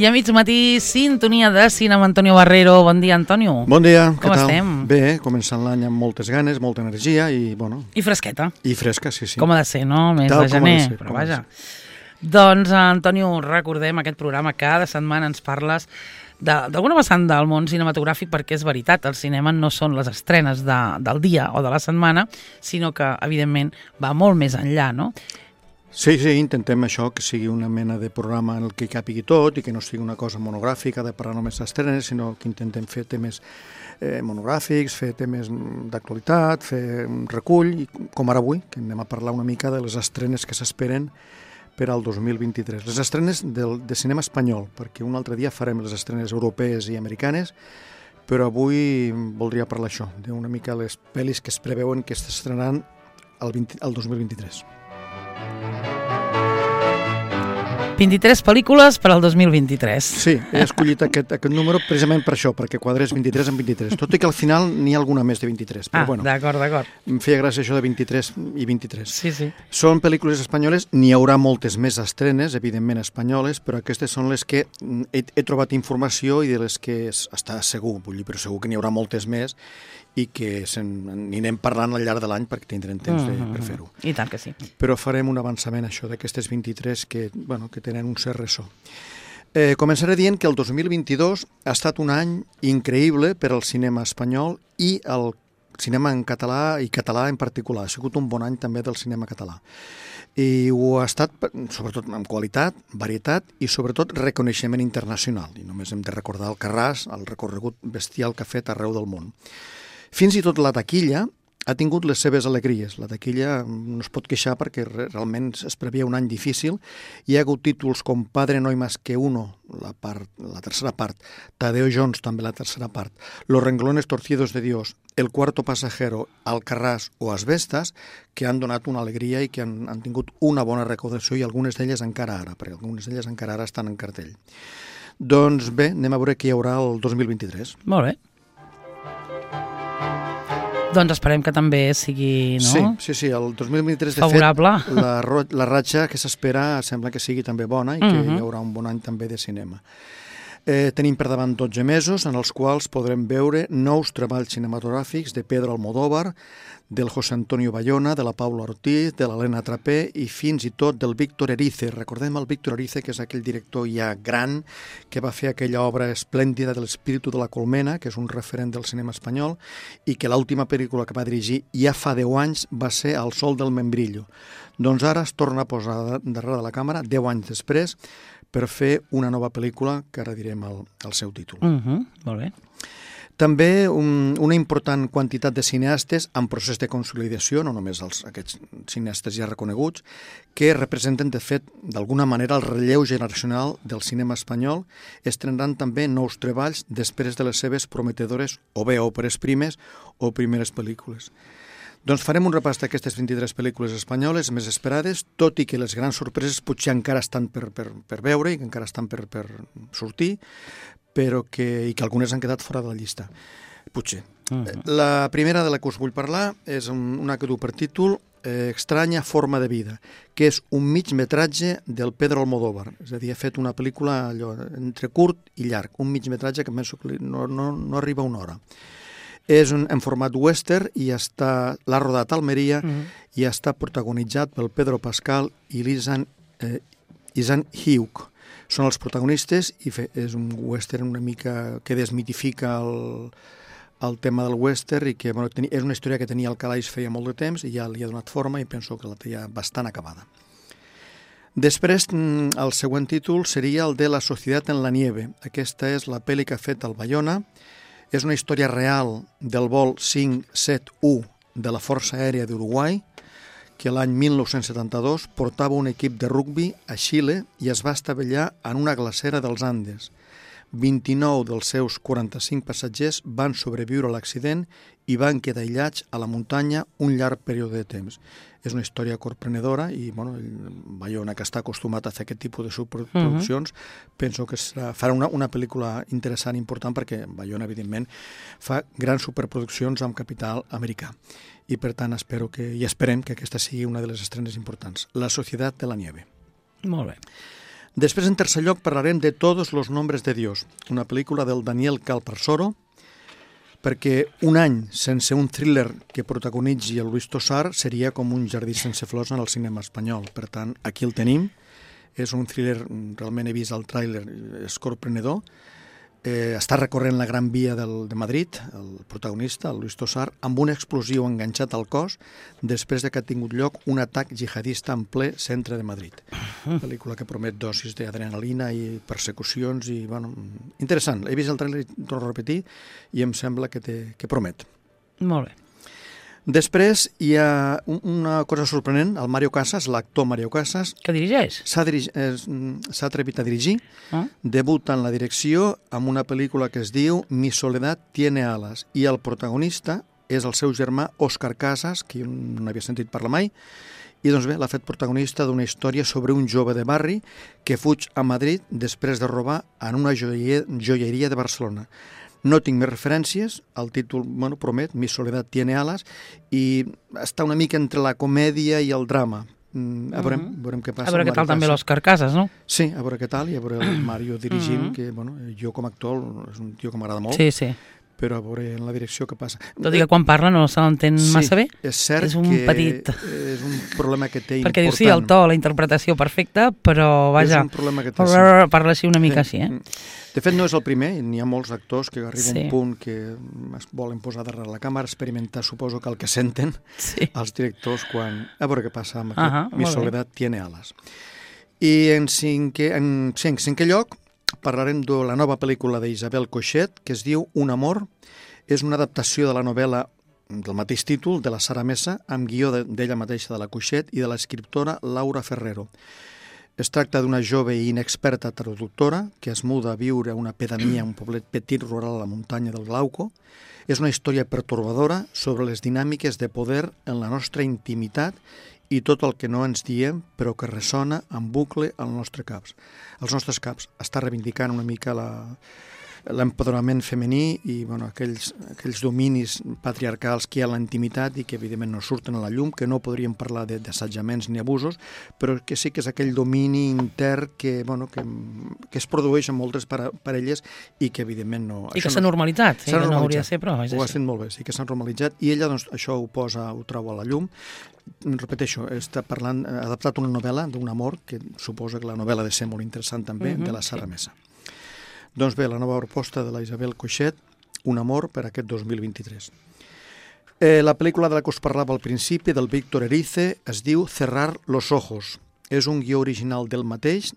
I a mig matí, sintonia de cinema, Antonio Barrero. Bon dia, Antonio. Bon dia, com què tal? Estem? Bé, començant l'any amb moltes ganes, molta energia i, bueno... I fresqueta. I fresca, sí. Com ha de ser, no? Mes Tal de gener, ser, però vaja. Doncs, Antonio, recordem aquest programa, cada setmana ens parles d'alguna vessant del món cinematogràfic, perquè és veritat, el cinema no són les estrenes del dia o de la setmana, sinó que, evidentment, va molt més enllà, no? Sí, intentem això, que sigui una mena de programa en el que hi capigui tot i que no sigui una cosa monogràfica de parlar només d'estrenes, sinó que intentem fer temes monogràfics, fer temes d'actualitat, fer un recull, i com ara avui, que anem a parlar una mica de les estrenes que s'esperen per al 2023. Les estrenes de cinema espanyol, perquè un altre dia farem les estrenes europees i americanes, però avui voldria parlar això, d'una mica les pel·lis que es preveuen que s'estrenaran el 2023. 23 pel·lícules per al 2023. Sí, he escollit aquest número precisament per això, perquè quadrés 23 en 23, tot i que al final n'hi ha alguna més de 23. Però bueno, d'acord. Em feia gràcia això de 23 i 23. Sí. Són pel·lícules espanyoles, n'hi haurà moltes més estrenes, evidentment espanyoles, però aquestes són les que he trobat informació i de les que està segur, però segur que n'hi haurà moltes més i que n'anem parlant al llarg de l'any perquè tindrem temps per fer-ho. I tant que sí. Però farem un avançament, això, d'aquestes 23 que tenen un cert ressò. Començaré dient que el 2022 ha estat un any increïble per al cinema espanyol i el cinema en català i català en particular. Ha sigut un bon any també del cinema català. I ho ha estat, sobretot amb qualitat, varietat i sobretot reconeixement internacional. I només hem de recordar Alcarràs, el recorregut bestial que ha fet arreu del món. Fins i tot la taquilla ha tingut les seves alegries. La taquilla no es pot queixar perquè realment es previa un any difícil. Hi ha hagut títols com Padre no hay más que uno, la tercera part, Tadeo Jones, també la tercera part, Los renglones torcidos de Dios, El cuarto pasajero, Alcarràs o Asbestas, que han donat una alegria i que han tingut una bona recaudació i algunes d'elles encara ara, perquè algunes d'elles encara ara estan en cartell. Doncs bé, anem a veure què hi haurà el 2023. Molt bé. Doncs esperem que també sigui, no? Sí, el 2023 de favorable. Fet, la ratxa que s'espera sembla que sigui també bona i que hi haurà un bon any també de cinema. Tenim per davant 12 mesos en els quals podrem veure nous treballs cinematogràfics de Pedro Almodóvar, del José Antonio Bayona, de la Paula Ortiz, de l'Helena Trapé i fins i tot del Víctor Erice. Recordem el Víctor Erice, que és aquell director ja gran que va fer aquella obra esplèndida de l'Espíritu de la Colmena, que és un referent del cinema espanyol, i que l'última pel·lícula que va dirigir ja fa 10 anys va ser El sol del membrillo. Doncs ara es torna a posar darrere de la càmera, 10 anys després, per fer una nova pel·lícula, que ara direm el seu títol. Molt bé. També una important quantitat de cineastes en procés de consolidació, no només aquests cineastes ja reconeguts, que representen, de fet, d'alguna manera el relleu generacional del cinema espanyol, estrenaran també nous treballs després de les seves prometedores o bé òperes primes o primeres pel·lícules. Doncs farem un repàs d'aquestes 23 pel·lícules espanyoles més esperades, tot i que les grans sorpreses potser encara estan per veure i que encara estan per sortir, però i que algunes han quedat fora de la llista, potser. La primera de la que us vull parlar és una que du per títol Extraña forma de vida, que és un migmetratge del Pedro Almodóvar. És a dir, ha fet una pel·lícula entre curt i llarg, un migmetratge que penso que no arriba a una hora. És en format western i l'ha rodat a Almeria i està protagonitzat pel Pedro Pascal i l'Isan Hugh. Són els protagonistes i és un western una mica que desmitifica el tema del western i que és una història que tenia al calaix feia molt de temps i ja li ha donat forma i penso que la té ja bastant acabada. Després, el següent títol seria el de La societat en la nieve. Aquesta és la pel·li que ha fet el Bayona. És una història real del vol 571 de la Força Aèria d'Uruguai, que l'any 1972 portava un equip de rugbi a Xile i es va estavellar en una glacera dels Andes. 29 dels seus 45 passatgers van sobreviure a l'accident i van quedar aïllats a la muntanya un llarg període de temps. És una història corprenedora i Bayona, que està acostumat a fer aquest tipus de superproduccions, penso que farà una pel·lícula interessant i important perquè Bayona, evidentment, fa grans superproduccions amb capital americà. I per tant esperem que aquesta sigui una de les estrenes importants. La societat de la nieve. Molt bé. Després, en tercer lloc, parlarem de Todos los nombres de Dios, una pel·lícula del Daniel Calparsoro, perquè un any sense un thriller que protagonitzi el Luis Tosar seria com un jardí sense flors en el cinema espanyol. Per tant, aquí el tenim. És un thriller, realment he vist el tràiler, és corprenedor. Està recorrent la Gran Via de Madrid, el protagonista, el Luis Tosar, amb un explosiu enganxat al cos després de que ha tingut lloc un atac jihadista en ple centre de Madrid. Pel·lícula que promet dosis d'adrenalina i persecucions i, bueno, interessant. He vist el tràiler, torno a repetir, i em sembla que promet. Molt bé. Després hi ha una cosa sorprenent, el Mario Casas, l'actor Mario Casas, Que dirigeix? s'ha atrevit a dirigir, debuta en la direcció amb una pel·lícula que es diu Mi soledad tiene alas, i el protagonista és el seu germà Òscar Casas, que jo no havia sentit parlar mai, i doncs bé, l'ha fet protagonista d'una història sobre un jove de barri que fuig a Madrid després de robar en una joieria de Barcelona. No tinc més referències, el títol, bueno, promet, Mi soledad tiene alas, i està una mica entre la comèdia i el drama. Veurem què passa. A veure què tal també l'Òscar Casas, no? Sí, a veure què tal, i a veure el Mario dirigint, que, bueno, jo com a actor és un tio que m'agrada molt. Sí, sí. Però a veure en la direcció què passa. Tot i que quan parla no se l'entén massa bé. És cert és un que petit. És un problema que té perquè important. diu, sí, el to, la interpretació perfecta, però, vaja, és un problema que té, sí. Parla així una mica així, De fet, no és el primer, n'hi ha molts actors que arriba un punt que es volen posar darrere la càmera, experimentar, suposo que el que senten els directors quan... A veure què passa amb aquest Mi soledad tiene alas. I en cinquè lloc parlarem de la nova pel·lícula d'Isabel Coixet, que es diu Un amor. És una adaptació de la novel·la del mateix títol, de la Sara Mesa, amb guió d'ella mateixa, de la Coixet, i de l'escriptora Laura Ferrero. Es tracta d'una jove i inexperta traductora que es muda a viure a una pedania, un poblet petit rural a la muntanya del Glauco. És una història pertorbadora sobre les dinàmiques de poder en la nostra intimitat i tot el que no ens diem, però que ressona en bucle als nostres caps. Està reivindicant una mica l'empoderament femení i, bueno, aquells dominis patriarcals que hi ha a la intimitat i que evidentment no surten a la llum, que no podríem parlar d'assetjaments ni abusos, però que sí que és aquell domini intern que, bueno, que es produeix en moltes parelles i que evidentment no... I que s'ha normalitzat, que no hauria de ser, però és així. Ho així. has dit molt bé, sí que s'ha normalitzat, i ella doncs, això ho trau a la llum. Repeteixo, està parlant, ha adaptat una novel·la d'un amor, que suposa que la novel·la ha de ser molt interessant també, de la Sara Mesa. Doncs bé, la nova proposta de la Isabel Coixet, Un amor per aquest 2023. La pel·lícula de la que us parlava al principi, del Víctor Erice, es diu Cerrar los ojos. És un guió original d'ell mateix,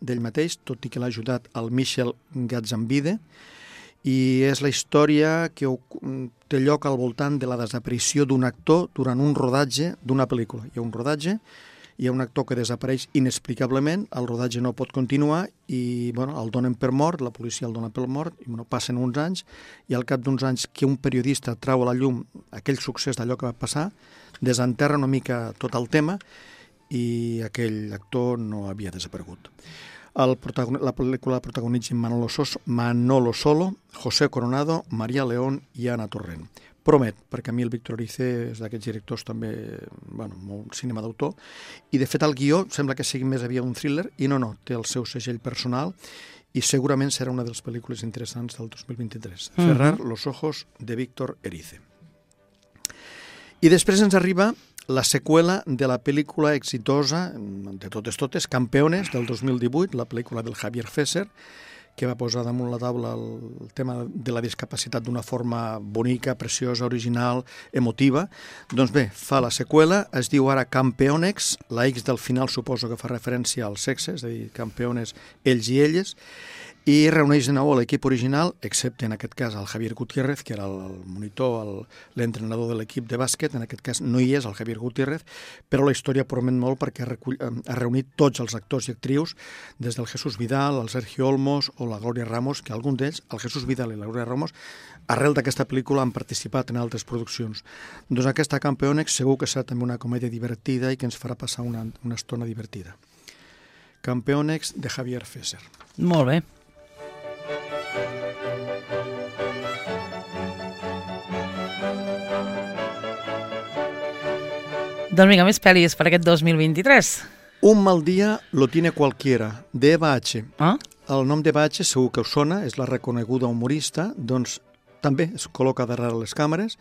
tot i que l'ha ajudat el Michel Gatzambide, i és la història que té lloc al voltant de la desaparició d'un actor durant un rodatge d'una pel·lícula. Hi ha un rodatge, hi ha un actor que desapareix inexplicablement, el rodatge no pot continuar i, bueno, el donen per mort, la policia el dona per mort, i, bueno, passen uns anys, i al cap d'uns anys que un periodista trau a la llum aquell succés d'allò que va passar, desenterra una mica tot el tema i aquell actor no havia desaparegut. La pel·lícula protagonitza Manolo Solo, José Coronado, María León i Ana Torrent. Promet, perquè a mi el Víctor Erice és d'aquests directors també, bueno, molt cinema d'autor, i de fet el guió sembla que sigui més aviat un thriller, i no, té el seu segell personal, i segurament serà una de les pel·lícules interessants del 2023. Cerrar los ojos, de Víctor Erice. I després ens arriba la seqüela de la pel·lícula exitosa, de totes, Campeones, del 2018, la pel·lícula del Javier Fesser, que va posar damunt la taula el tema de la discapacitat d'una forma bonica, preciosa, original, emotiva. Doncs bé, fa la seqüela, es diu ara Campeonex, la X del final suposo que fa referència al sexe, és a dir, campeones ells i elles, i reuneix de nou l'equip original, excepte en aquest cas el Javier Gutiérrez, que era el monitor, l'entrenador de l'equip de bàsquet, en aquest cas no hi és el Javier Gutiérrez, però la història promet molt perquè ha reunit tots els actors i actrius, des del Jesús Vidal, el Sergio Olmos o la Gloria Ramos, que alguns d'ells, el Jesús Vidal i la Gloria Ramos, arrel d'aquesta pel·lícula han participat en altres produccions. Doncs aquesta Campeonex segur que serà també una comèdia divertida i que ens farà passar una estona divertida. Campeonex de Javier Fesser. Molt bé. Doncs vinga, més pel·lis per aquest 2023. Un mal dia lo tiene cualquiera, d'Eva H. Ah? El nom d'Eva H segur que us sona, és la reconeguda humorista, doncs també es col·loca darrere les càmeres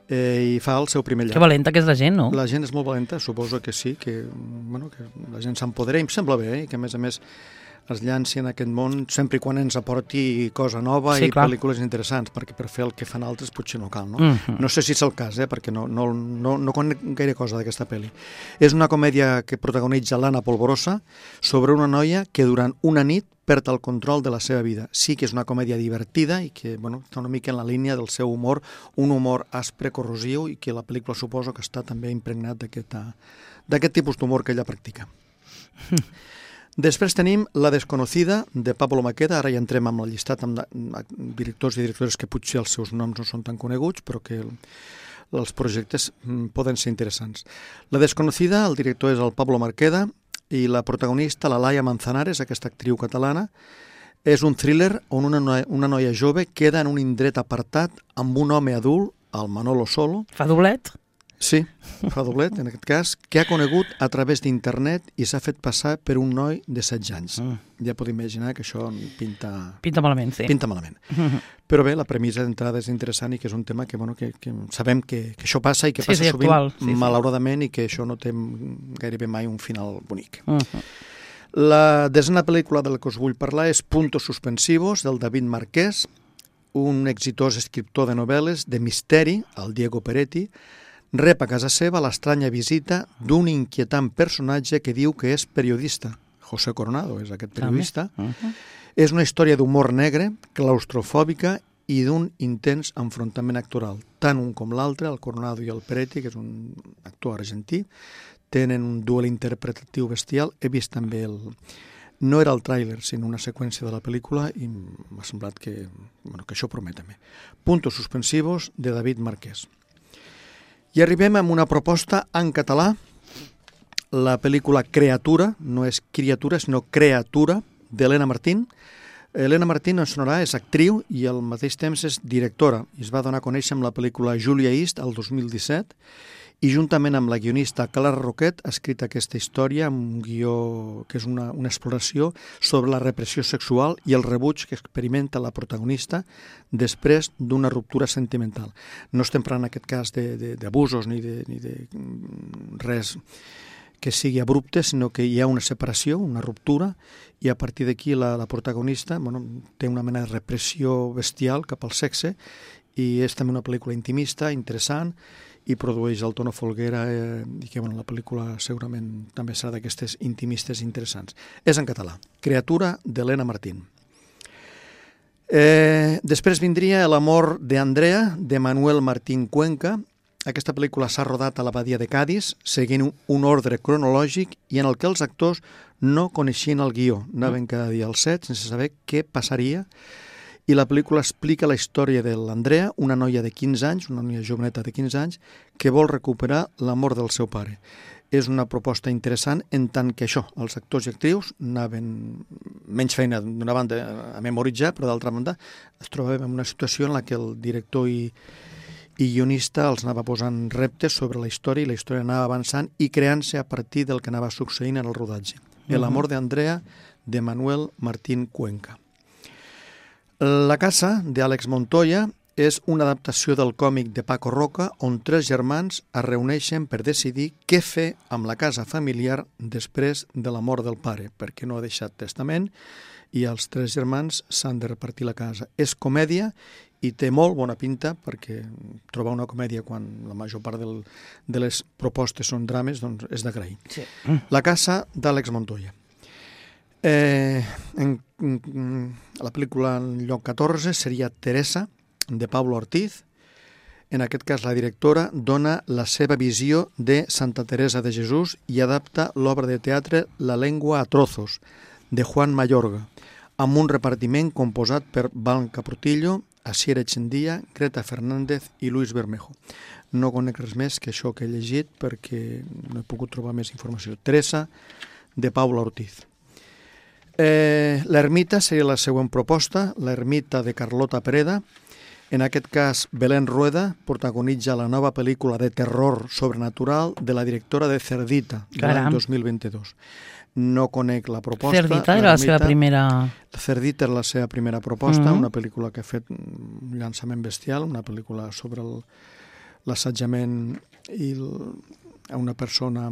i fa el seu primer llarg. Que valenta que és la gent, no? La gent és molt valenta, suposo que sí, que la gent s'empodera i em sembla bé, que a més es llanci en aquest món sempre i quan ens aporti cosa nova i pel·lícules interessants, perquè per fer el que fan altres potser no cal, no? No sé si és el cas, perquè no conec gaire cosa d'aquesta pel·li. És una comèdia que protagonitza l'Anna Polvorosa sobre una noia que durant una nit perd el control de la seva vida. Sí que és una comèdia divertida i que està una mica en la línia del seu humor, un humor aspre, corrosiu, i que la pel·lícula suposo que està també impregnat d'aquest tipus d'humor que ella practica. Després tenim La desconocida, de Pablo Maqueda. Ara ja entrem amb el llistat amb directors i directores que potser els seus noms no són tan coneguts, però que els projectes poden ser interessants. La desconocida, el director és el Pablo Maqueda, i la protagonista, la Laia Manzanares, aquesta actriu catalana, és un thriller on una noia jove queda en un indret apartat amb un home adult, el Manolo Solo. Fa doblet? Sí, fa doblet, en aquest cas, que ha conegut a través d'internet i s'ha fet passar per un noi de 16 anys. Ja podeu imaginar que això pinta... Pinta malament, sí. Pinta malament. Però bé, la premissa d'entrada és interessant i que és un tema que sabem que això passa i que passa sovint, actual, malauradament, i que això no té gairebé mai un final bonic. La desena pel·lícula de la que us vull parlar és Puntos Suspensivos, del David Marquès, un exitós escriptor de novel·les de misteri, el Diego Peretti, rep a casa seva l'estranya visita d'un inquietant personatge que diu que és periodista. José Coronado és aquest periodista. És una història d'humor negre, claustrofòbica i d'un intens enfrontament actoral. Tant un com l'altre, el Coronado i el Peretti, que és un actor argentí, tenen un duel interpretatiu bestial. He vist també no era el tràiler, sinó una seqüència de la pel·lícula i m'ha semblat que això promet també. Puntos Suspensivos, de David Marquès. I arribem a una proposta en català, la pel·lícula Creatura, no és criatura, sinó Creatura, d'Helena Martín. Helena Martín, ens sonarà, és actriu i al mateix temps és directora. I es va donar a conèixer amb la pel·lícula Julia East, el 2017, i juntament amb la guionista Clara Roquet ha escrit aquesta història amb un guió que és una exploració sobre la repressió sexual i el rebuig que experimenta la protagonista després d'una ruptura sentimental. No estem parlant en aquest cas d'abusos ni de res que sigui abrupte, sinó que hi ha una separació, una ruptura, i a partir d'aquí la protagonista té una mena de repressió bestial cap al sexe, i és també una pel·lícula intimista, interessant, i produeix el Tono Folguera i que la pel·lícula segurament també serà d'aquestes intimistes interessants. És en català, Creatura, d'Helena Martín. Després vindria L'amor de Andrea, de Manuel Martín Cuenca. Aquesta pel·lícula s'ha rodat a la Badia de Cadis, seguint un ordre cronològic i en el que els actors no coneixien el guió. Anaven cada dia al set sense saber què passaria. I la pel·lícula explica la història de l'Andrea, una noia de 15 anys, una noia joveneta de 15 anys, que vol recuperar l'amor del seu pare. És una proposta interessant en tant que això, els actors i actrius anaven menys feina d'una banda a memoritzar, però d'altra banda es trobaven en una situació en la que el director i guionista els anava posant reptes sobre la història i la història anava avançant i creant-se a partir del que anava succeint en el rodatge. El amor de Andrea, de Manuel Martín Cuenca. La casa, d'Àlex Montoya, és una adaptació del còmic de Paco Roca on 3 germans es reuneixen per decidir què fer amb la casa familiar després de la mort del pare, perquè no ha deixat testament i els 3 germans s'han de repartir la casa. És comèdia i té molt bona pinta, perquè trobar una comèdia quan la major part de les propostes són drames doncs és d'agrair. Sí. La casa, d'Àlex Montoya. La pel·lícula en lloc 14 seria Teresa, de Pablo Ortiz. En aquest cas, la directora dona la seva visió de Santa Teresa de Jesús i adapta l'obra de teatre La lengua a trozos, de Juan Mayorga, amb un repartiment composat per Blanca Portillo, Asier Echendía, Greta Fernández i Luis Bermejo. No conec res més que això que he llegit perquè no he pogut trobar més informació. Teresa, de Pablo Ortiz. L'ermita seria la següent proposta, l'ermita de Carlota Pereda. En aquest cas, Belén Rueda protagonitza la nova pel·lícula de terror sobrenatural de la directora de Cerdita, de l'any 2022. No conec la proposta. Cerdita era la seva primera... Cerdita era la seva primera proposta, una pel·lícula que ha fet un llançament bestial, una pel·lícula sobre l'assetjament a una persona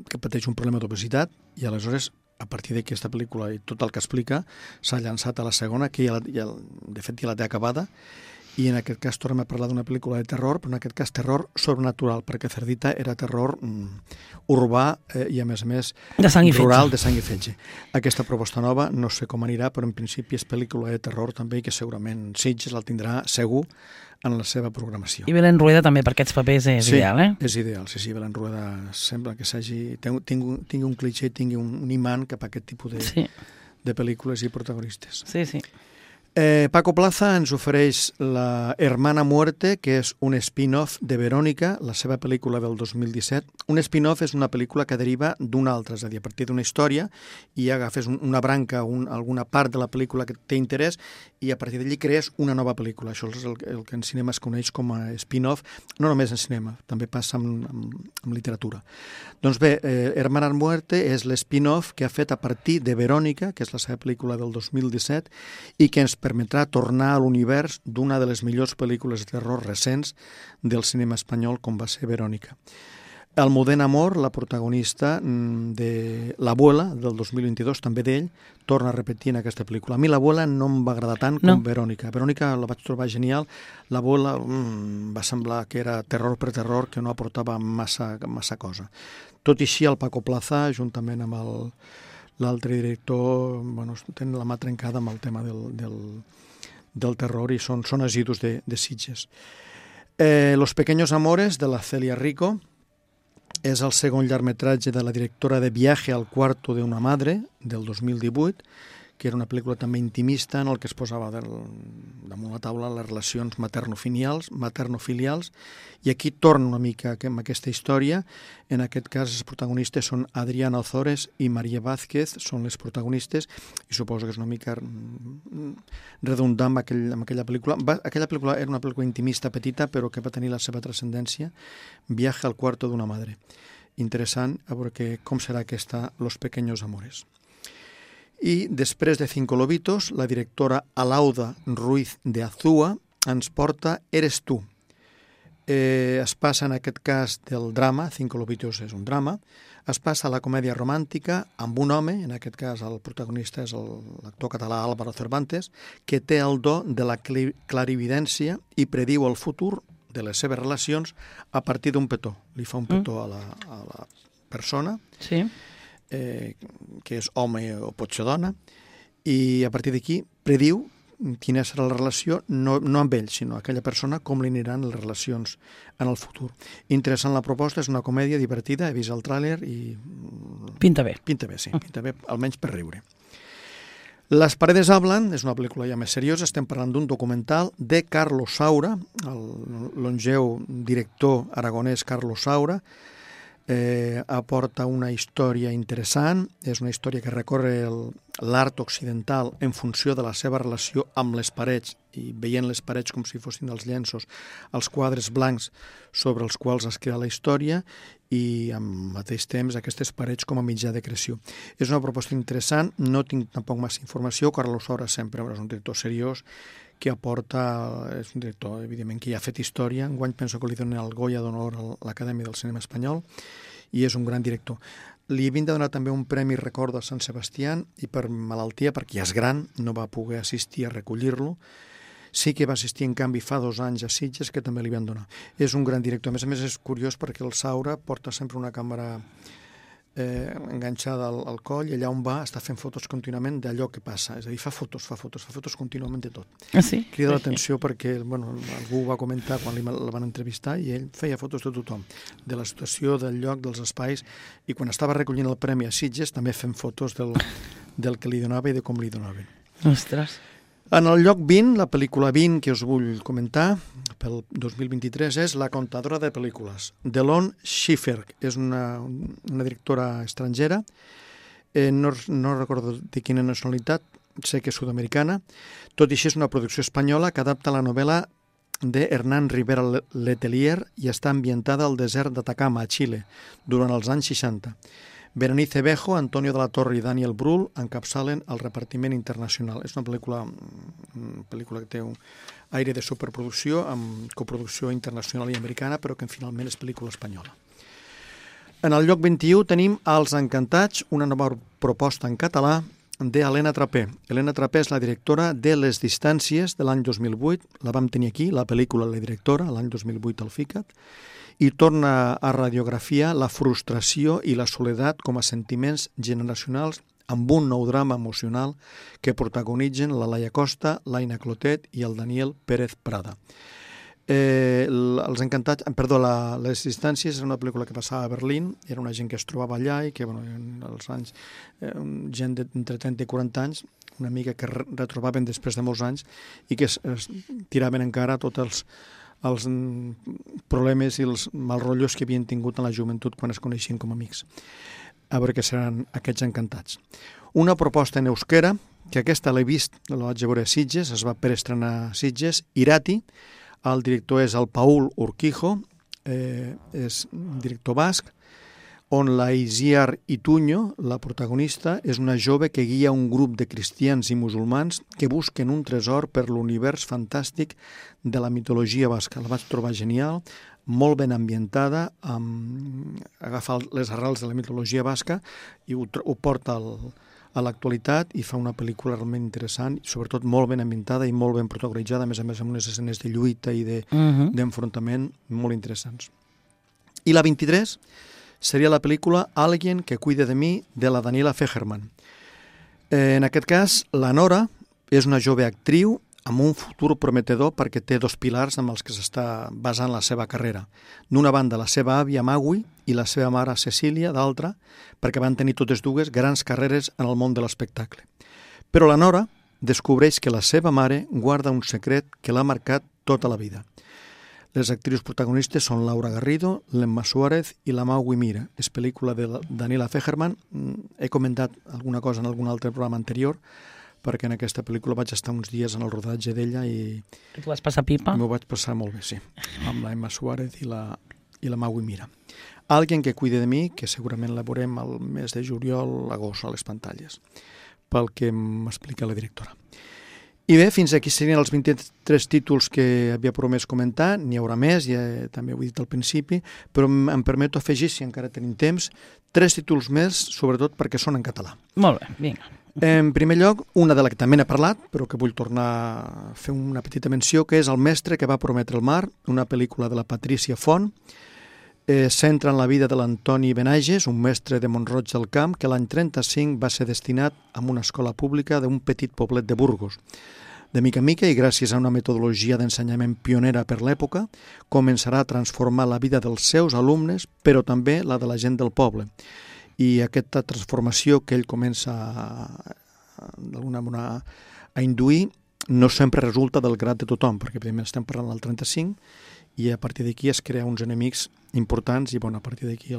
que pateix un problema d'obesitat, i aleshores, a partir d'aquesta pel·lícula i tot el que explica, s'ha llançat a la segona, que de fet ja la té acabada, i en aquest cas tornem a parlar d'una pel·lícula de terror, però en aquest cas terror sobrenatural, perquè Cerdita era terror urbà i a més rural, de sang i fetge. Aquesta proposta nova no sé com anirà, però en principi és pel·lícula de terror també, i que segurament Sitges la tindrà segur en la seva programació. I Belén Rueda també per aquests papers és ideal, eh? Sí, és ideal. Sí, Belén Rueda sembla que tingui un cliché, tingui un imant cap a aquest tipus de pel·lícules i protagonistes. Sí, sí. Paco Plaza ens ofereix La Hermana Muerte, que és un spin-off de Verònica, la seva pel·lícula del 2017. Un spin-off és una pel·lícula que deriva d'una altra, és a dir, a partir d'una història, i agafes una branca, alguna part de la pel·lícula que té interès, i a partir d'allí crees una nova pel·lícula. Això és el que en cinema es coneix com a spin-off, no només en cinema, també passa amb literatura. Doncs bé, Hermana Muerte és l'spin-off que ha fet a partir de Verònica, que és la seva pel·lícula del 2017, i que ens permetrà tornar a l'univers d'una de les millors pel·lícules de terror recents del cinema espanyol, com va ser Verònica. Almudena Amor, la protagonista de L'Abuela, del 2022, també d'ell, torna a repetir en aquesta pel·lícula. A mi L'Abuela no em va agradar tant com Verònica. Verònica la vaig trobar genial. L'Abuela va semblar que era terror per terror, que no aportava massa cosa. Tot i així, el Paco Plaza, juntament amb l'altre director, tenen la mà trencada amb el tema del terror, i són assidus de Sitges. Los Pequeños Amores, de la Celia Rico, és el segon llargmetratge de la directora de Viaje al cuarto de una madre, del 2018, que era una pel·lícula també intimista en el que es posava damunt la taula les relacions materno-filials, i aquí torna una mica amb aquesta història. En aquest cas els protagonistes són Adriana Ozores i Maria Vázquez, són les protagonistes, i suposo que és una mica redundant amb aquella pel·lícula. Aquella pel·lícula era una pel·lícula intimista petita, però que va tenir la seva transcendència. Viaje al cuarto de una madre. Interessant, a veure com serà aquesta Los Pequeños Amores. I després de Cinco Lobitos, la directora Alauda Ruiz de Azúa ens porta Eres tu. Es passa en aquest cas del drama, Cinco Lobitos és un drama, es passa a la comèdia romàntica amb un home, en aquest cas el protagonista és l'actor català Álvaro Cervantes, que té el do de la clarividència i prediu el futur de les seves relacions a partir d'un petó. Li fa un petó a la persona, sí, que és home o pot ser dona, i a partir d'aquí prediu quina serà la relació, no amb ell, sinó aquella persona, com li aniran les relacions en el futur. Interessant la proposta, és una comèdia divertida, he vist el tràiler i... Pinta bé. Pinta bé, sí, pinta bé, almenys per riure. Las paredes hablan, és una pel·lícula ja més seriosa, estem parlant d'un documental de Carlos Saura, el longeu director aragonès Carlos Saura. Aporta una història interessant, és una història que recorre l'art occidental en funció de la seva relació amb les parets, i veient les parets com si fossin els llenços, els quadres blancs sobre els quals es crea la història, i al mateix temps aquestes parets com a mitjà de creació. És una proposta interessant, no tinc tampoc massa informació. Carlos Saura sempre és un director seriós que aporta, és un director evidentment que ja ha fet història. Enguany penso que li donen el Goya d'Honor a l'Acadèmia del Cinema Espanyol, i és un gran director. Li havien de donar també un premi Record de Sant Sebastià, i per malaltia, perquè ja és gran, no va poder assistir a recollir-lo. Sí que va assistir, en canvi, fa 2 anys a Sitges, que també li van donar. És un gran director. A més és curiós perquè el Saura porta sempre una càmera enganxada al coll, i allà on va està fent fotos contínuament d'allò que passa. És a dir, fa fotos contínuament de tot. Ah, sí? Crida l'atenció perquè algú va comentar quan el van entrevistar, i ell feia fotos de tothom, de la situació, del lloc, dels espais, i quan estava recollint el premi a Sitges també fent fotos del que li donava i de com li donaven. Ostres! En el lloc 20, la pel·lícula 20 que us vull comentar pel 2023 és La contadora de pel·lícules. Delon Schiffer és una directora estrangera, no recordo de quina nacionalitat, sé que és sud-americana. Tot i així és una producció espanyola que adapta la novel·la de Hernán Rivera Letelier i està ambientada al desert d'Atacama, a Xile, durant els anys 60. Berenice Bejo, Antonio de la Torre i Daniel Brühl encapçalen el repartiment internacional. És una pel·lícula que té un aire de superproducció amb coproducció internacional i americana, però que finalment és pel·lícula espanyola. En el lloc 21 tenim Els Encantats, una nova proposta en català d'Helena Trapé. Helena Trapé és la directora de Les Distàncies de l'any 2008, la vam tenir aquí, la pel·lícula La directora, l'any 2008 al FICAT, i torna a radiografiar la frustració i la soledat com a sentiments generacionals amb un nou drama emocional que protagonitzen la Laia Costa, l'Aina Clotet i el Daniel Pérez Prada. Els Encantats, Les Distàncies és una pel·lícula que passava a Berlín, era una gent que es trobava allà i que en els anys, gent d'entre 30 i 40 anys, una amiga que retrobaven després de molts anys i que es tiraven encara tots els problemes i els mal rotllos que havien tingut en la joventut quan es coneixien com a amics. A veure què seran aquests Encantats. Una proposta en euskera, que aquesta l'he vist, la vaig veure a Sitges, es va preestrenar a Sitges, Irati. El director és el Paul Urquijo, és un director basc, on la Isiar Ituño, la protagonista, és una jove que guia un grup de cristians i musulmans que busquen un tresor per l'univers fantàstic de la mitologia basca. La vaig trobar genial, molt ben ambientada, agafa les arrels de la mitologia basca i ho porta a l'actualitat i fa una pel·lícula realment interessant, sobretot molt ben ambientada i molt ben protagonitzada, a més amb unes escenes de lluita i d'enfrontament molt interessants. I la 23 seria la pel·lícula Alguien que cuide de mi, de la Daniela Fegerman. En aquest cas, la Nora és una jove actriu amb un futur prometedor perquè té dos pilars amb els que s'està basant la seva carrera. D'una banda, la seva àvia Magui i la seva mare Cecília, d'altra, perquè van tenir totes dues grans carreres en el món de l'espectacle. Però la Nora descobreix que la seva mare guarda un secret que l'ha marcat tota la vida. Les actrius protagonistes són Laura Garrido, l'Emma Suárez i la Magui Mira. És pel·lícula de Daniela Fegerman. He comentat alguna cosa en algun altre programa anterior, perquè en aquesta pel·lícula vaig estar uns dies en el rodatge d'ella i... Tu vas passar pipa? M'ho vaig passar molt bé, sí, amb la Emma Suárez i la Magui Mira. Alguien que cuide de mi, que segurament la veurem al mes de juliol, agost, a les pantalles, pel que m'explica la directora. I bé, fins aquí serien els 23 títols que havia promès comentar, n'hi haurà més, ja també ho he dit al principi, però em permeto afegir, si encara tenim temps, 3 títols més, sobretot perquè són en català. Molt bé, vinga. En primer lloc, una de la que també n'he parlat, però que vull tornar a fer una petita menció, que és El mestre que va prometre el mar, una pel·lícula de la Patrícia Font. Centra en la vida de l'Antoni Benages, un mestre de Mont-roig del Camp, que l'any 35 va ser destinat a una escola pública d'un petit poblet de Burgos. De mica en mica, i gràcies a una metodologia d'ensenyament pionera per l'època, començarà a transformar la vida dels seus alumnes, però també la de la gent del poble. I aquesta transformació que ell comença d'alguna manera a induir no sempre resulta del grat de tothom, perquè evidentment estem parlant del 35 i a partir d'aquí es crea uns enemics importants i a partir d'aquí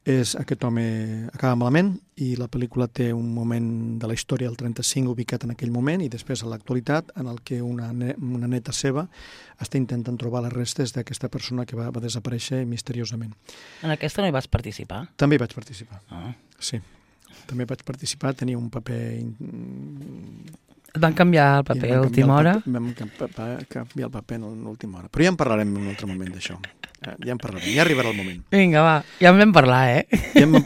aquest home acaba malament i la pel·lícula té un moment de la història del 35 ubicat en aquell moment i després a l'actualitat en el que una neta seva està intentant trobar les restes d'aquesta persona que va desaparèixer misteriosament. En aquesta no hi vas participar? També hi vaig participar, Ah. sí. També vaig participar, tenia un paper... Et van canviar el paper a última hora? Vam canviar el paper en l'última hora. Però ja en parlarem en un altre moment d'això. Ja en parlarem, ja arribarà el moment. Vinga, va, ja en vam parlar,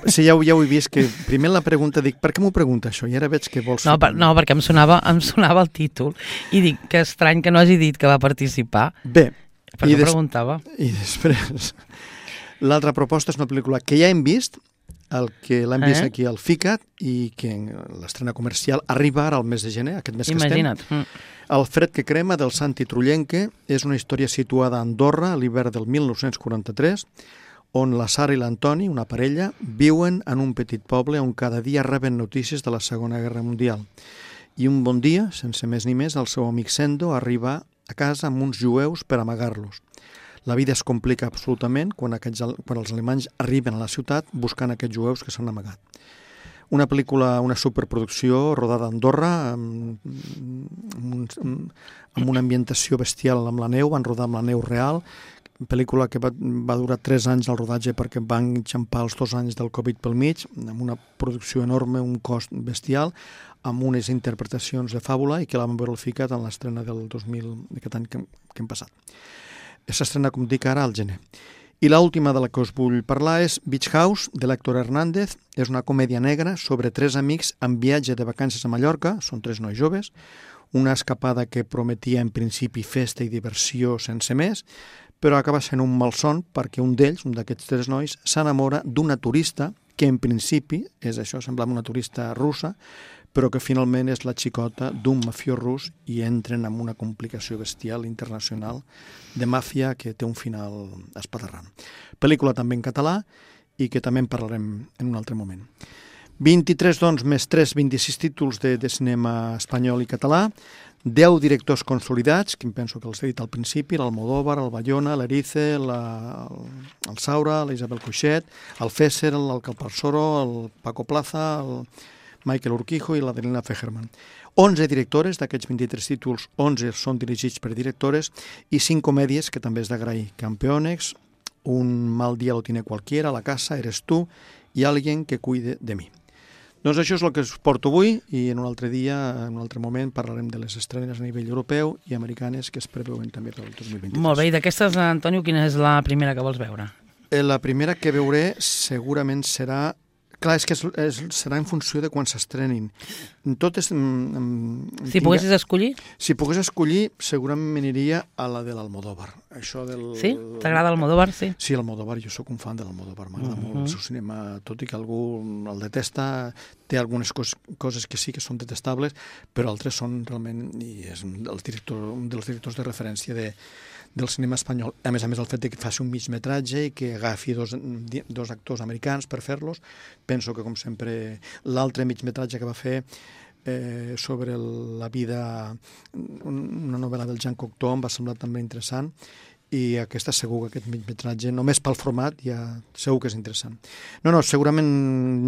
Sí, ja ho he vist, que primer la pregunta dic, per què m'ho pregunta això? I ara veig que vols... No, perquè em sonava el títol i dic que estrany que no hagi dit que va participar. Bé. Per què preguntava? I després, l'altra proposta és una pel·lícula que ja hem vist, el que l'hem vist aquí al FICAT i que l'estrena comercial arriba ara al mes de gener, aquest mes que estem. Imagina't. El fred que crema del Santi Trullenque és una història situada a Andorra a l'hivern del 1943, on la Sara i l'Antoni, una parella, viuen en un petit poble on cada dia reben notícies de la Segona Guerra Mundial. I un bon dia, sense més ni més, el seu amic Sendo arriba a casa amb uns jueus per amagar-los. La vida es complica absolutament quan els alemanys arriben a la ciutat buscant aquests jueus que s'han amagat. Una pel·lícula, una superproducció rodada a Andorra, amb una ambientació bestial amb la neu, van rodar amb la neu real, pel·lícula que va durar 3 anys el rodatge perquè van enxampar els 2 anys del Covid pel mig, amb una producció enorme, un cost bestial, amb unes interpretacions de fàbula i que la vam veure al FICAT en l'estrena del 2000, d'aquest any que hem passat. S'estrena, com dic, ara al gener. I l'última de la que us vull parlar és Beach House, de l'Héctor Hernández. És una comèdia negra sobre 3 amics en viatge de vacances a Mallorca, són 3 nois joves, una escapada que prometia en principi festa i diversió sense més, però acaba sent un malson perquè un d'ells, un d'aquests 3 nois, s'enamora d'una turista que en principi, és això, semblava una turista russa, però que finalment és la xicota d'un mafiós rus i entren en una complicació bestial internacional de màfia que té un final espaterrant. Pel·lícula també en català i que també en parlarem en un altre moment. 23, doncs, més 3, 26 títols de cinema espanyol i català, 10 directors consolidats, que em penso que els he dit al principi, l'Almodóvar, el Bayona, l'Erice, el Saura, la Isabel Coixet, el Fesser, el Calparsoro, el Paco Plaza, el Michael Urquijo i l'Adelina Fejerman. 11 directores, d'aquests 23 títols, 11 són dirigits per directores i 5 comèdies que també és d'agrair. Campeones, Un mal día lo tiene cualquiera, La casa, Eres tú i Alguien que cuide de mi. Doncs això és el que us porto avui i en un altre dia, en un altre moment, parlarem de les estrenes a nivell europeu i americanes que es preveuen també per al 2023. Molt bé, i d'aquestes, Antonio, quina és la primera que vols veure? La primera que veuré segurament serà... Clar, és que serà en funció de quan s'estrenin. Totes... Si poguessis escollir? Si pogués escollir, segurament m'aniria a la de l'Almodóvar. Això del... Sí? T'agrada l'Almodóvar, sí? Sí, l'Almodóvar, jo sóc un fan de l'Almodóvar, m'agrada molt el seu cinema, tot i que algú el detesta, té algunes coses que sí que són detestables, però altres són realment... I és un dels directors de referència del cinema espanyol. A més, el fet que faci un migmetratge i que agafi dos actors americans per fer-los, penso que, com sempre, l'altre migmetratge que va fer sobre la vida, una novel·la del Jean Cocteau, em va semblar també interessant, i aquesta segur que aquest migmetratge, només pel format, ja segur que és interessant. No, segurament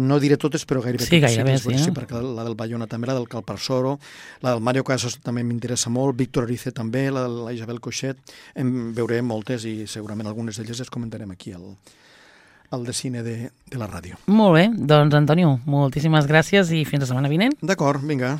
no diré totes, però gairebé sí, totes. Gairebé sí, sí, perquè la del Bayona també, la del Calparsoro, la del Mario Casas també m'interessa molt, Víctor Erice també, la Isabel Coixet, en veuré moltes i segurament algunes d'elles les comentarem aquí al de cine de la ràdio. Molt bé, doncs Antonio, moltíssimes gràcies i fins la setmana vinent. D'acord, vinga.